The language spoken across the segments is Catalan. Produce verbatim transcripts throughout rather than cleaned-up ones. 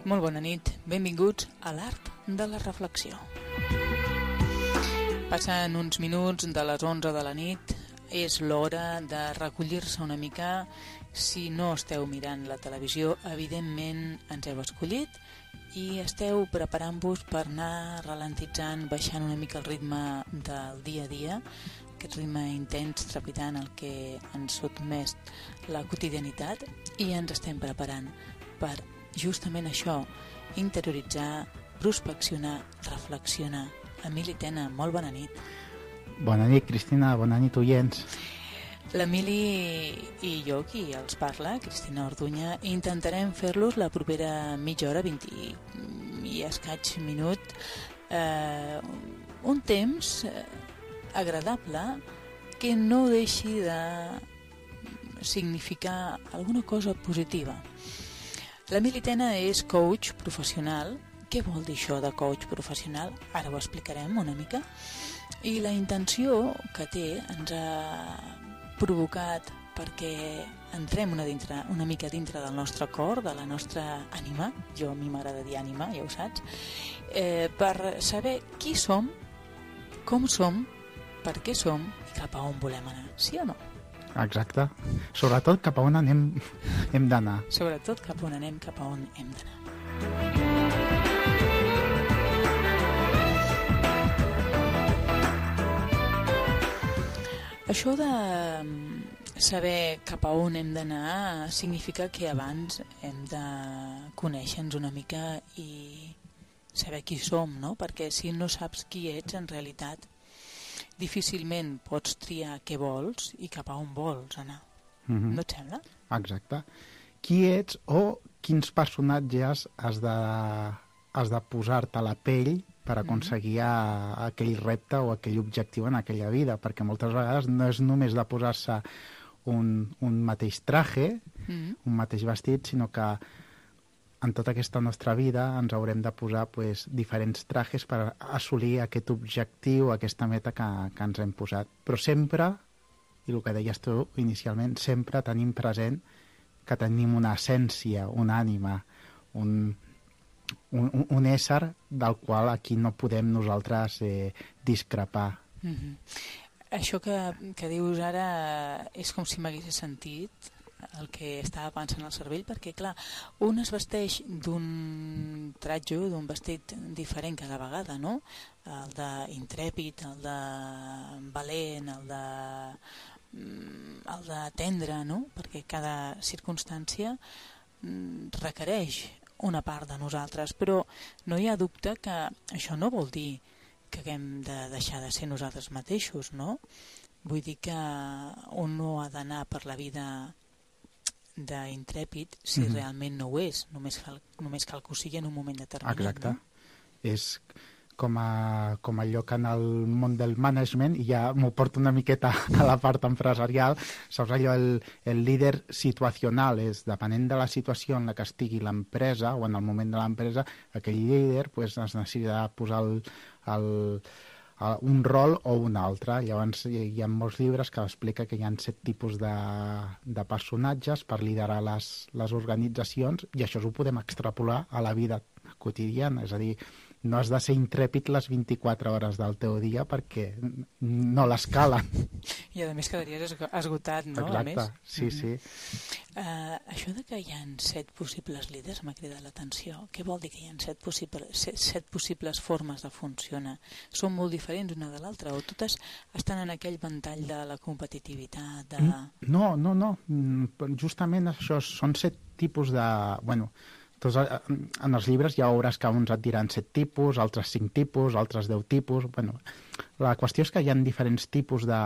Molt bona nit, benvinguts a l'Art de la Reflexió. Passen uns minuts de les onze de la nit, és l'hora de recollir-se una mica. Si no esteu mirant la televisió, evidentment ens heu escollit i esteu preparant-vos per anar ralentitzant, baixant una mica el ritme del dia a dia, aquest ritme intens, trepidant, el que ens sotmès la quotidianitat, i ens estem preparant per justament això, interioritzar, prospeccionar, reflexionar. Emili Tena, molt bona nit. Bona nit, Cristina, bona nit, oients. L'Emili i jo, qui els parla, Cristina Orduña, intentarem fer-los la propera mitja hora, vint i escaig minut, eh, un temps agradable que no deixi de significar alguna cosa positiva. L'Emili Tena és coach professional. Què vol dir això de coach professional? Ara ho explicarem una mica. I la intenció que té ens ha provocat perquè entrem una, dintre, una mica dintre del nostre cor, de la nostra ànima, jo a mi m'agrada dir ànima, ja ho saps, eh, per saber qui som, com som, per què som i cap a on volem anar, sí o no? Exacte. Sobretot cap a on anem, hem d'anar. Sobretot cap a on anem, cap a on hem d'anar. Això de saber cap a on hem d'anar significa que abans hem de conèixer-nos una mica i saber qui som, no? Perquè si no saps qui ets, en realitat, difícilment pots triar què vols i cap a on vols anar. Mm-hmm. No et sembla? Exacte. Qui ets o quins personatges has de, has de posar-te a la pell per aconseguir mm-hmm. aquell repte o aquell objectiu en aquella vida, perquè moltes vegades no és només de posar-se un, un mateix traje, mm-hmm. un mateix vestit, sinó que en tota aquesta nostra vida ens haurem de posar pues, diferents trajes per assolir aquest objectiu, aquesta meta que, que ens hem posat. Però sempre, i el que deies tu inicialment, sempre tenim present que tenim una essència, una ànima, un, un, un ésser del qual aquí no podem nosaltres eh, discrepar. Mm-hmm. Això que, que dius ara és com si m'hagués sentit el que estava pensant al cervell, perquè clar, un es vesteix d'un tratge, d'un vestit diferent cada vegada, no? El d'intrèpid, el de valent, el de el de tendre, no? Perquè cada circumstància requereix una part de nosaltres, però no hi ha dubte que això no vol dir que haguem de deixar de ser nosaltres mateixos, no? Vull dir que un no ha d'anar per la vida d'intrèpid si mm-hmm. realment no ho és, només cal, només cal que ho sigui en un moment determinat. Exacte. No? És com, a, com allò que en el món del management, i ja m'ho porto una miqueta a la part empresarial, saps allò, el, el líder situacional, és depenent de la situació en la que estigui l'empresa o en el moment de l'empresa, aquell líder pues, es necessita posar el, el un rol o un altre. Llavors hi ha molts llibres que explica que hi ha set tipus de, de personatges per liderar les, les organitzacions, i això ho podem extrapolar a la vida quotidiana, és a dir, no has de ser intrèpid les vint-i-quatre hores del teu dia perquè no les calen. I a més quedaries esgotat, no? Exacte, sí, mm-hmm. sí. Uh, això de que hi ha set possibles líders m'ha cridat l'atenció. Què vol dir que hi ha set, possible, set, set possibles formes de funcionar? Són molt diferents una de l'altra o totes estan en aquell ventall de la competitivitat? De... No, no, no. Justament això són set tipus de... Bueno, tots, en els llibres ja veuràs que uns et diran set tipus, altres cinc tipus, altres deu tipus... Bueno, la qüestió és que hi ha diferents tipus de,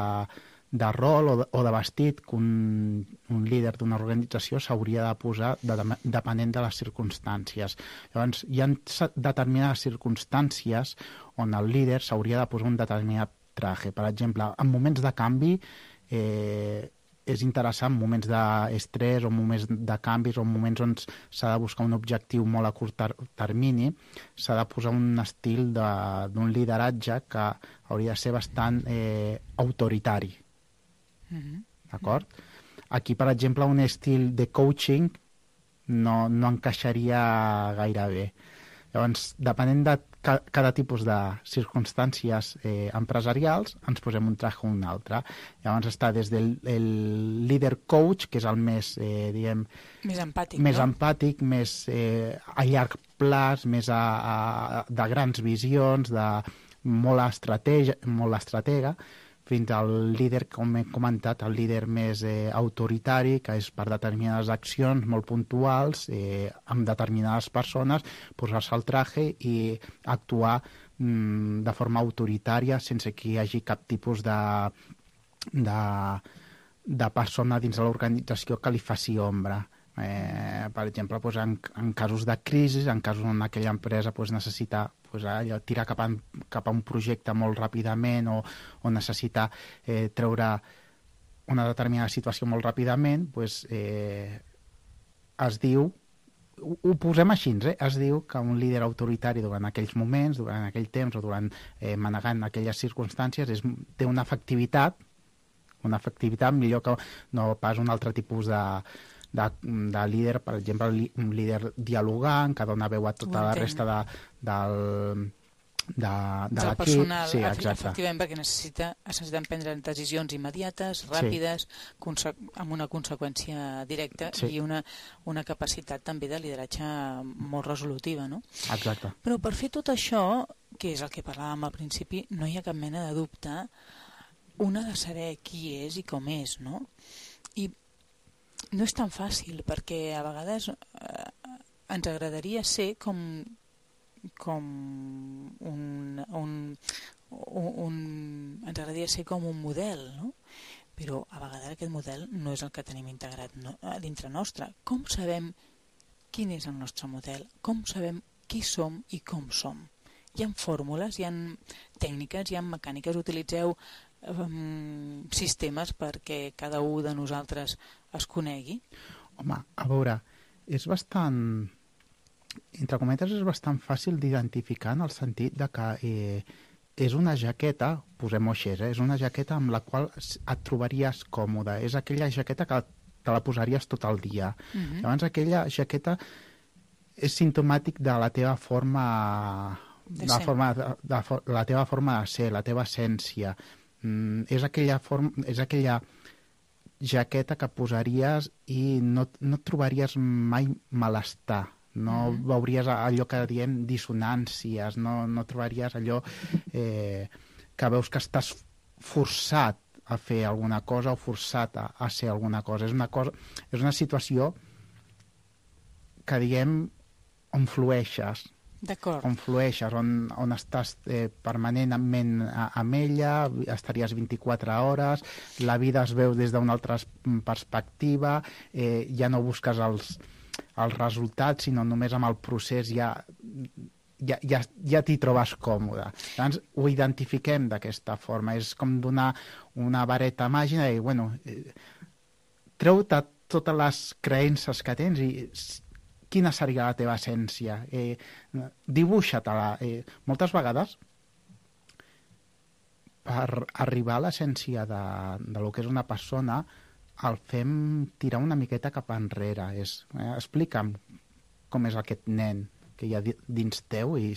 de rol o de, o de vestit que un, un líder d'una organització s'hauria de posar de, de, depenent de les circumstàncies. Llavors, hi ha determinades circumstàncies on el líder s'hauria de posar un determinat traje. Per exemple, en moments de canvi... Eh, és interessant, moments d'estrès o moments de canvis o moments on s'ha de buscar un objectiu molt a curt ter termini, s'ha de posar un estil d'un lideratge que hauria de ser bastant eh, autoritari. Mm-hmm. D'acord? Aquí, per exemple, un estil de coaching no, no encaixaria gaire bé. Llavors, depenent de ca cada tipus de circumstàncies eh, empresarials, ens posem un traje o un altre. Llavors està des del el líder coach, que és el més, eh, diguem... Més empàtic, més no? empàtic, més eh, a llarg plaç, més a, a, de grans visions, de molt estratega, molt estratega, fins al líder, com he comentat, el líder més eh, autoritari, que és per determinades accions molt puntuals, eh, amb determinades persones, posar-se el traje i actuar mm, de forma autoritària sense que hi hagi cap tipus de, de, de persona dins de l'organització que li faci ombra. Eh, per exemple, doncs, en, en casos de crisi, en casos on aquella empresa doncs, necessita pues, allò, tirar cap a, cap a un projecte molt ràpidament o, o necessita eh, treure una determinada situació molt ràpidament, pues, eh, es diu, ho, ho posem així, eh? Es diu que un líder autoritari durant aquells moments, durant aquell temps o durant eh, manegant aquelles circumstàncies és, té una efectivitat, una efectivitat millor que no pas un altre tipus de De, de líder, per exemple, un líder dialogant, que dona veu a tota la resta de, del, de, de l'equip. Personal, sí, exacte. efectivament, perquè necessita, necessiten prendre decisions immediates, ràpides, sí. amb una conseqüència directa sí. i una, una capacitat també de lideratge molt resolutiva, no? Exacte. Però per fer tot això, que és el que parlàvem al principi, no hi ha cap mena de dubte, un ha de saber qui és i com és, no? I no és tan fàcil, perquè a vegades eh, ens agradaria ser com, com un, un, un... ens agradaria ser com un model, no? Però a vegades aquest model no és el que tenim integrat no, dintre nostre. Com sabem quin és el nostre model? Com sabem qui som i com som? Hi ha fórmules, hi ha tècniques, hi ha mecàniques, utilitzeu um, sistemes perquè cada un de nosaltres es conegui? Home, a veure, és bastant, entre cometes, és bastant fàcil d'identificar en el sentit de que eh, és una jaqueta, posem-ho així, eh, és una jaqueta amb la qual et trobaries còmode, és aquella jaqueta que te la posaries tot el dia. Uh-huh. Llavors aquella jaqueta és simptomàtic de la teva forma de, de, forma, de, de, de la teva forma de ser, la teva essència. Mm, és aquella forma, és aquella jaqueta que posaries i no, no et trobaries mai malestar, no mm. veuries allò que diem dissonàncies, no, no trobaries allò eh, que veus que estàs forçat a fer alguna cosa o forçat a, a ser alguna cosa. És una cosa, és una situació que diem on flueixes, on flueixes, on, on estàs eh, permanentment a, amb ella, estaries vint-i-quatre hores, la vida es veu des d'una altra perspectiva, eh, ja no busques els, els resultats, sinó només amb el procés ja, ja, ja, ja t'hi trobes còmode. Llavors ho identifiquem d'aquesta forma, és com donar una vareta màgica i, bueno, eh, treu-te totes les creences que tens i quina seria la teva essència? Eh, dibuixa-te-la. Eh, moltes vegades, per arribar a l'essència de, de lo que és una persona, el fem tirar una miqueta cap enrere. És, eh, explica'm com és aquest nen que hi ha dins teu i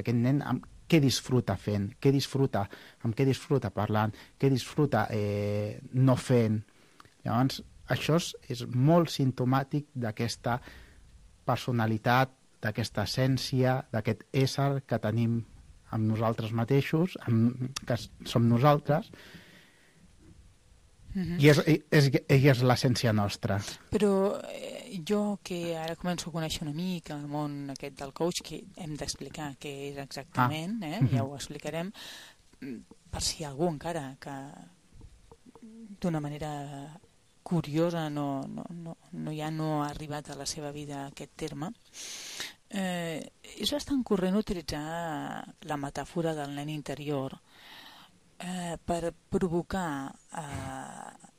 aquest nen amb què disfruta fent, què disfruta, amb què disfruta parlant, què disfruta eh, no fent. Llavors, això és, és molt simptomàtic d'aquesta personalitat, d'aquesta essència, d'aquest ésser que tenim amb nosaltres mateixos, amb, que som nosaltres, mm-hmm. i és, és, és, és l'essència nostra. Però eh, jo que ara començo a conèixer una mica el món aquest del coach, que hem d'explicar què és exactament, ah. eh? Mm-hmm. Ja ho explicarem, per si hi ha algú encara que d'una manera curiosa no, no, no, no, ja no ha arribat a la seva vida aquest terme. Eh, és bastant corrent utilitzar la metàfora del nen interior eh, per provocar eh,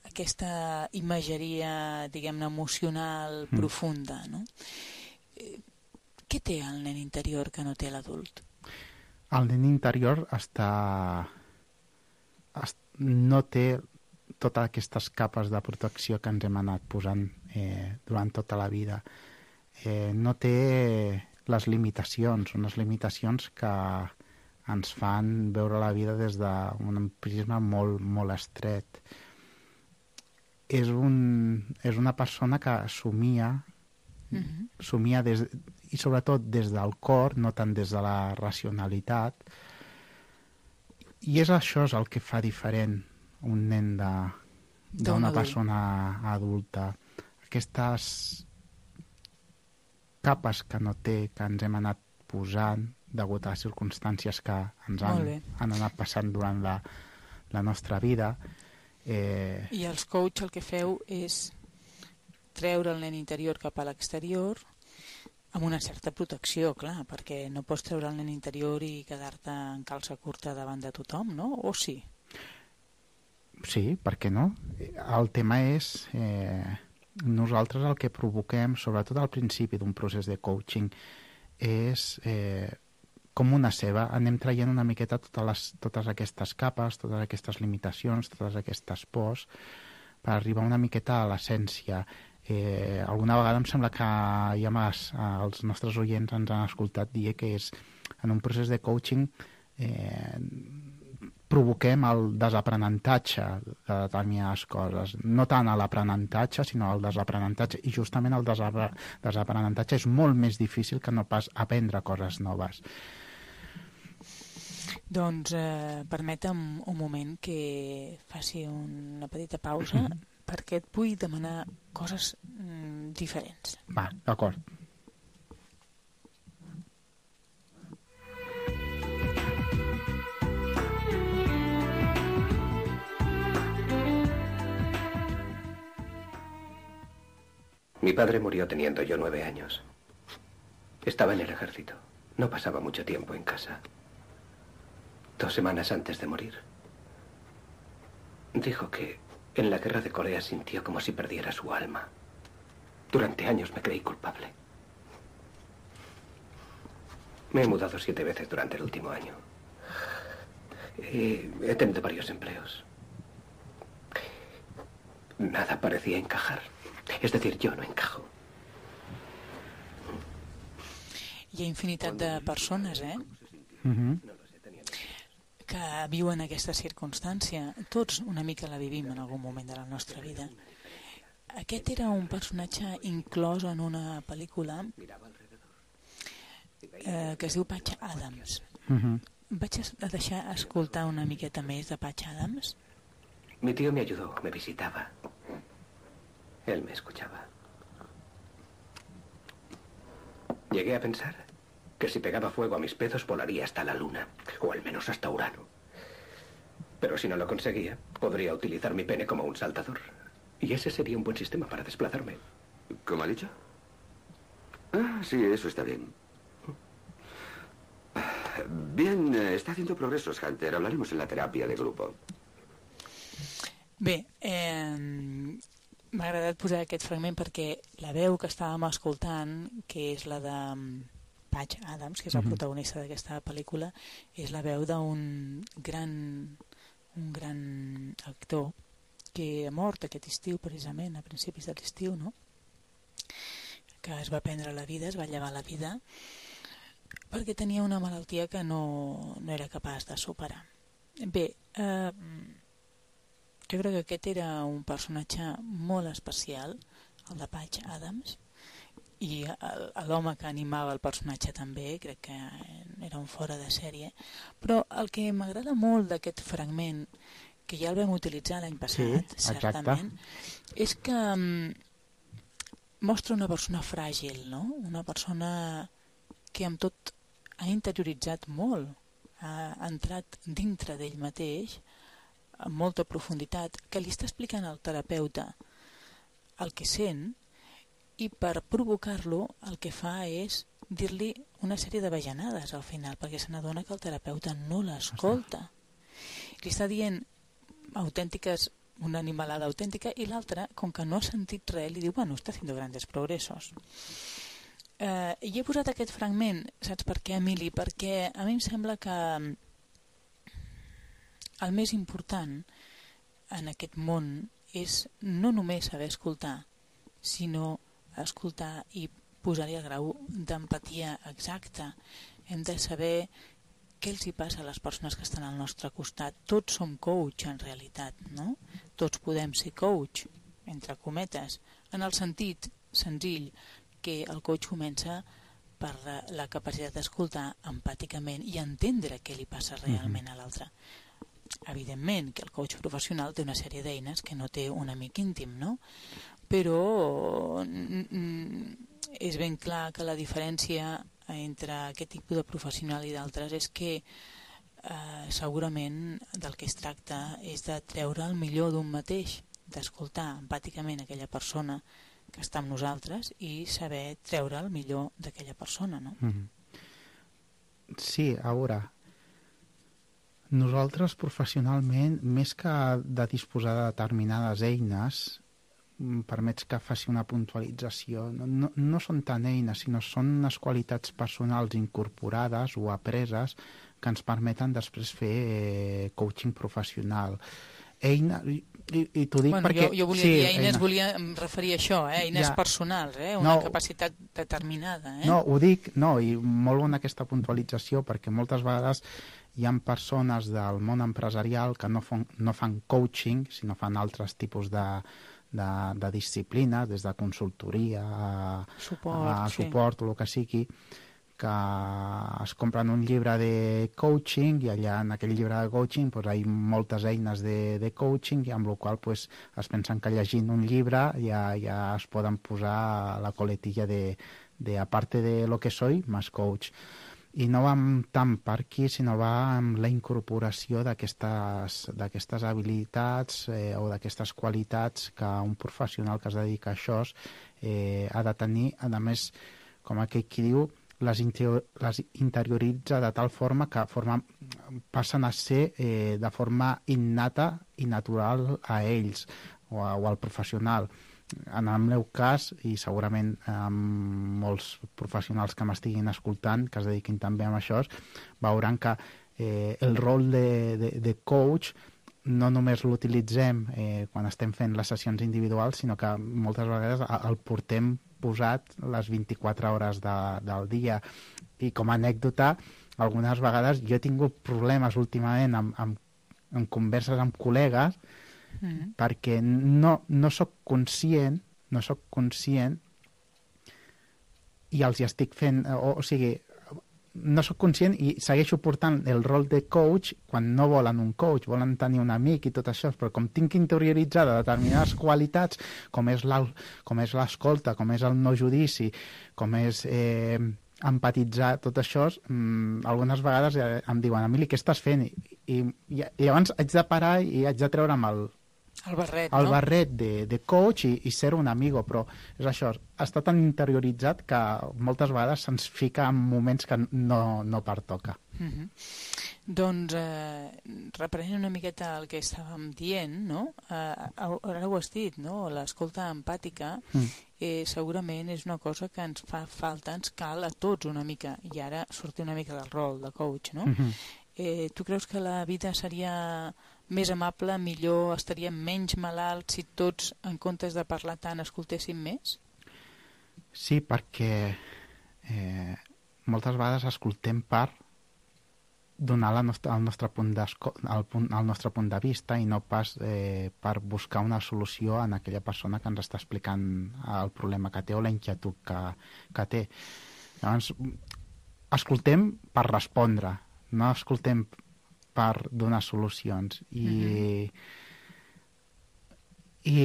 aquesta imatgeria, diguem-ne, emocional mm. profunda, no? Eh, què té el nen interior que no té l'adult? El nen interior està... no té totes aquestes capes de protecció que ens hem anat posant eh, durant tota la vida. Eh, no té les limitacions, unes limitacions que ens fan veure la vida des d'un prisma molt, molt estret. És, un, és una persona que somia, mm-hmm. somia des, i sobretot des del cor, no tant des de la racionalitat, i és això és el que fa diferent un nen d'una persona adulta. Aquestes capes que no té, que ens hem anat posant degut a les circumstàncies que ens han, han anat passant durant la, la nostra vida. Eh... I els coach el que feu és treure el nen interior cap a l'exterior amb una certa protecció, clar, perquè no pots treure el nen interior i quedar-te en calça curta davant de tothom, no? O sí? Sí, per què no? El tema és... Eh... Nosaltres el que provoquem, sobretot al principi d'un procés de coaching, és eh, com una ceba, anem traient una miqueta totes, les, totes aquestes capes, totes aquestes limitacions, totes aquestes pors, per arribar una miqueta a l'essència. Eh, alguna vegada em sembla que ja més, els nostres oients ens han escoltat dir que és en un procés de coaching eh, provoquem el desaprenentatge de determinades coses. No tant a l'aprenentatge, sinó el desaprenentatge. I justament el desaprenentatge és molt més difícil que no pas aprendre coses noves. Doncs eh, permetem un moment que faci una petita pausa mm-hmm. perquè et vull demanar coses mm, diferents. Va, d'acord. Mi padre murió teniendo yo nueve años. Estaba en el ejército. No pasaba mucho tiempo en casa. Dos semanas antes de morir, dijo que en la guerra de Corea sintió como si perdiera su alma. Durante años me creí culpable. Me he mudado siete veces durante el último año. Y he tenido varios empleos. Nada parecía encajar. És a dir, jo no encajo. Hi ha infinitat de persones, eh? Mm-hmm. que viuen aquesta circumstància. Tots una mica la vivim en algun moment de la nostra vida. Aquest era un personatge inclòs en una pel·lícula eh, que es diu Patch Adams. Mm-hmm. Vaig a deixar escoltar una miqueta més de Patch Adams. Mi tío me ayudó, me visitaba. Él me escuchaba. Llegué a pensar que si pegaba fuego a mis pezos volaría hasta la luna, o al menos hasta Urano. Pero si no lo conseguía, podría utilizar mi pene como un saltador. Y ese sería un buen sistema para desplazarme. ¿Cómo ha dicho? Ah, sí, eso está bien. Bien, está haciendo progresos, Hunter. Hablaremos en la terapia de grupo. Bé, eh... m'ha agradat posar aquest fragment perquè la veu que estàvem escoltant, que és la de Patch Adams, que és el protagonista d'aquesta pel·lícula, és la veu d'un gran, un gran actor que ha mort aquest estiu, precisament, a principis de l'estiu, no? Que es va prendre la vida, es va llevar la vida, perquè tenia una malaltia que no, no era capaç de superar. Bé, eh... jo crec que aquest era un personatge molt especial, el de Patch Adams, i l'home que animava el personatge també, crec que era un fora de sèrie. Però el que m'agrada molt d'aquest fragment, que ja el vam utilitzar l'any passat, sí, certament, és que um, mostra una persona fràgil, no? Una persona que amb tot ha interioritzat molt, ha entrat dintre d'ell mateix, amb molta profunditat, que li està explicant al terapeuta el que sent, i per provocar-lo el que fa és dir-li una sèrie de bajanades al final, perquè se n'adona que el terapeuta no l'escolta. Li està dient autèntiques, una animalada autèntica, i l'altre, com que no ha sentit res, li diu, bueno, està haciendo grandes progresos. Eh, i he posat aquest fragment, saps per què, Emili? Perquè a mi em sembla que el més important en aquest món és no només saber escoltar, sinó escoltar i posar-hi el grau d'empatia exacta. Hem de saber què els hi passa a les persones que estan al nostre costat. Tots som coach, en realitat, no? Tots podem ser coach, entre cometes, en el sentit senzill que el coach comença per la, la capacitat d'escoltar empàticament i entendre què li passa realment a l'altre. Evidentment que el coach professional té una sèrie d'eines que no té un amic íntim, no? Però és ben clar que la diferència entre aquest tipus de professional i d'altres és que eh, segurament del que es tracta és de treure el millor d'un mateix, d'escoltar empàticament aquella persona que està amb nosaltres i saber treure el millor d'aquella persona, no? Mm-hmm. Sí, a veure, nosaltres professionalment, més que de disposar de determinades eines, permets que faci una puntualització, no, no, no són tant eines, sinó són unes qualitats personals incorporades o apreses que ens permeten després fer eh, coaching professional. Eina, i, i, i t'ho dic bueno, perquè... Jo, jo volia sí, dir eines, eines, volia referir a això, eh? Eines ja, personals, eh? Una no, capacitat determinada. Eh? No, ho dic, no, i molt bona aquesta puntualització, perquè moltes vegades hi ha persones del món empresarial que no fan, no fan coaching, sinó fan altres tipus de, de, de disciplines, des de consultoria a suport, a sí. suport o el que sigui, que es compren un llibre de coaching i allà en aquell llibre de coaching pues, hi ha moltes eines de, de coaching i amb la qual pues, es pensen que llegint un llibre ja, ja es poden posar la coletilla de, de aparte de lo que soy, más coach. I no va tant per aquí, sinó va amb la incorporació d'aquestes habilitats eh, o d'aquestes qualitats que un professional que es dedica a això eh, ha de tenir, a més, com aquell qui diu, les, interior, les interioritza de tal forma que forma, passen a ser eh, de forma innata i natural a ells o, a, o al professional. En el meu cas, i segurament amb molts professionals que m'estiguin escoltant, que es dediquin també a això, veuran que eh, el rol de, de, de coach no només l'utilitzem eh, quan estem fent les sessions individuals, sinó que moltes vegades el portem posat les vint-i-quatre hores de, del dia. I com a anècdota, algunes vegades jo he tingut problemes últimament amb, amb, amb converses amb col·legues mm. perquè no, no soc conscient, no soc conscient i els hi estic fent, o, o sigui, no soc conscient i segueixo portant el rol de coach quan no volen un coach, volen tenir un amic i tot això, però com tinc interioritzada determinades qualitats, com és l'escolta, com és el no judici, com és eh, empatitzar, tot això, mmm, algunes vegades em diuen, Emili, què estàs fent? I, i, i llavors haig de parar i haig de treure'm el, el barret, el no? barret de, de coach i, i ser un amigo, però és això, està tan interioritzat que moltes vegades se'ns fica en moments que no, no pertoca. Mm-hmm. Doncs, eh, reprenent una miqueta el que estàvem dient, no? Eh, ara ho has dit, no? L'escolta empàtica mm. eh, segurament és una cosa que ens fa falta, ens cal a tots una mica, i ara sortir una mica del rol de coach, no? Mm-hmm. Eh, tu creus que la vida seria més amable, millor, estaríem menys malalts si tots, en comptes de parlar tant, escoltéssim més? Sí, perquè eh, moltes vegades escoltem per donar la nostra, el, nostre punt el, punt, el nostre punt de vista i no pas eh, per buscar una solució en aquella persona que ens està explicant el problema que té o la inquietud que, que té. Llavors, escoltem per respondre, no escoltem per donar solucions i, mm-hmm. i,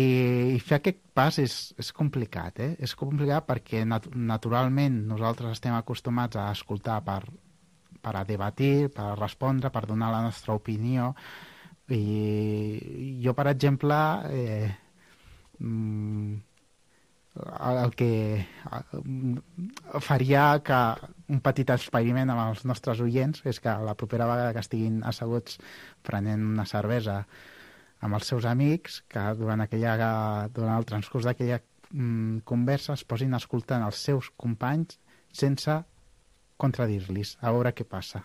i fer aquest pas és, és complicat, eh? És complicat perquè nat naturalment nosaltres estem acostumats a escoltar per, per a debatir, per a respondre, per donar la nostra opinió i jo, per exemple, eh, el que faria que un petit experiment amb els nostres oients és que la propera vegada que estiguin asseguts prenent una cervesa amb els seus amics, que durant, aquella, durant el transcurs d'aquella mm, conversa es posin escoltant els seus companys sense contradir-los, a veure què passa.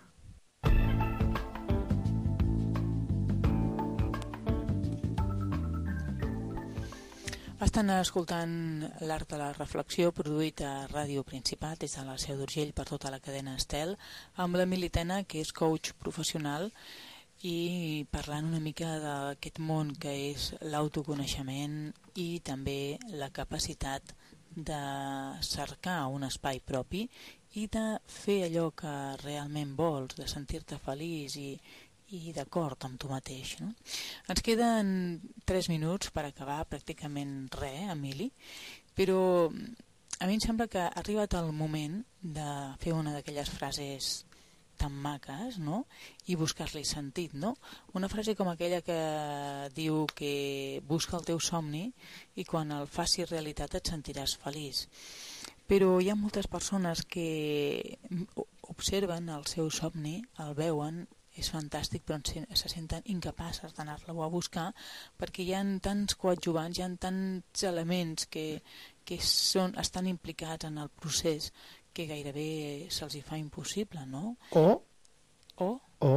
Estan escoltant l'Art de la Reflexió, produït a Ràdio Principat des de la Seu d'Urgell per tota la cadena Estel, amb l'Emili Tena, que és coach professional, i parlant una mica d'aquest món que és l'autoconeixement i també la capacitat de cercar un espai propi i de fer allò que realment vols, de sentir-te feliç i i d'acord amb tu mateix, no? Ens queden tres minuts per acabar, pràcticament res, Emili, però a mi em sembla que ha arribat el moment de fer una d'aquelles frases tan maques, no? I buscar-li sentit, no? Una frase com aquella que diu que busca el teu somni i quan el facis realitat et sentiràs feliç. Però hi ha moltes persones que observen el seu somni, el veuen, és fantàstic, però se senten incapaces d'anar-lo a buscar perquè hi ha tants coadjuvants, hi ha tants elements que, que són, estan implicats en el procés que gairebé se'ls hi fa impossible, no? O, o, o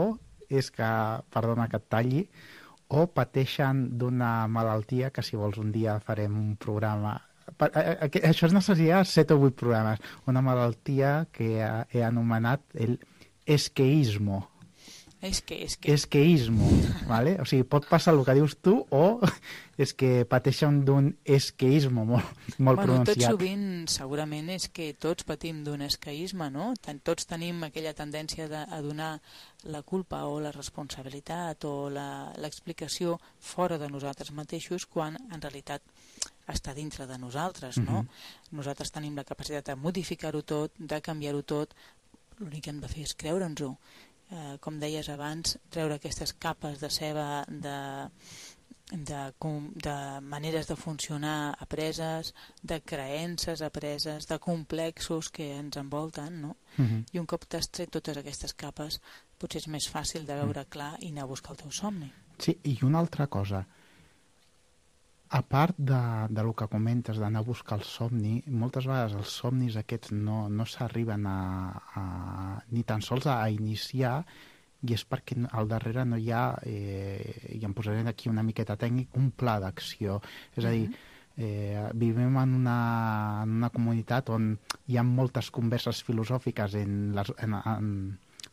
és que, perdona que et talli, o pateixen d'una malaltia que si vols un dia farem un programa. Això es necessitaria set o vuit programes. Una malaltia que he anomenat el esqueismo. És que, és que... Esqueismo, ¿vale? O sigui, pot passar el que dius tu o és que pateixen d'un esqueismo molt, molt bueno, pronunciat. Tot sovint, segurament, és que tots patim d'un esqueisme, no? Tots tenim aquella tendència de, a donar la culpa o la responsabilitat o l'explicació fora de nosaltres mateixos quan, en realitat, està dintre de nosaltres, no? Mm-hmm. Nosaltres tenim la capacitat de modificar-ho tot, de canviar-ho tot, l'únic que hem de fer és creure'ns-ho. Eh, com deies abans, treure aquestes capes de ceba de, de, de maneres de funcionar apreses, de creences apreses, de complexos que ens envolten, no? Uh-huh. I un cop t'has tret totes aquestes capes, potser és més fàcil de veure clar i anar a buscar el teu somni. Sí, i una altra cosa, a part de, de lo que comentes d'anar a buscar el somni, moltes vegades els somnis aquests no, no s'arriben a, a, ni tan sols a, a iniciar, i és perquè al darrere no hi ha, eh, i em posaré aquí una miqueta tècnic, un pla d'acció. És a dir, eh, vivim en una, en una comunitat on hi ha moltes converses filosòfiques en les, en, en,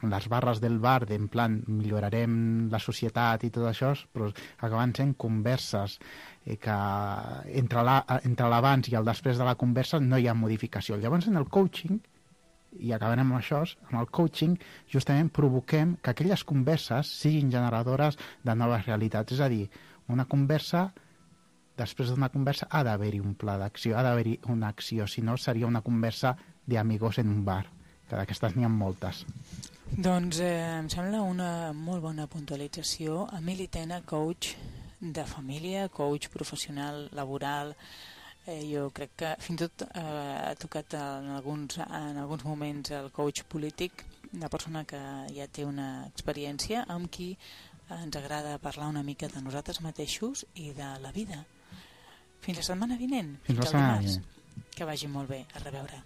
en les barres del bar, d'en plan millorarem la societat i tot això, però acaben sent converses eh, que entre, la, entre l'abans i el després de la conversa no hi ha modificació. Llavors en el coaching, i acabarem amb això, amb el coaching justament provoquem que aquelles converses siguin generadores de noves realitats. És a dir, una conversa, després d'una conversa ha d'haver-hi un pla d'acció, ha d'haver-hi una acció, si no seria una conversa d'amigos en un bar, que d'aquestes n'hi ha moltes. Doncs eh, em sembla una molt bona puntualització. Emili Tena, coach de família, coach professional, laboral. Eh, jo crec que fins i tot eh, ha tocat en alguns, en alguns moments el coach polític, una persona que ja té una experiència amb qui ens agrada parlar una mica de nosaltres mateixos i de la vida. Fins la setmana vinent. Fins la setmana vinent. Que vagi molt bé. A reveure.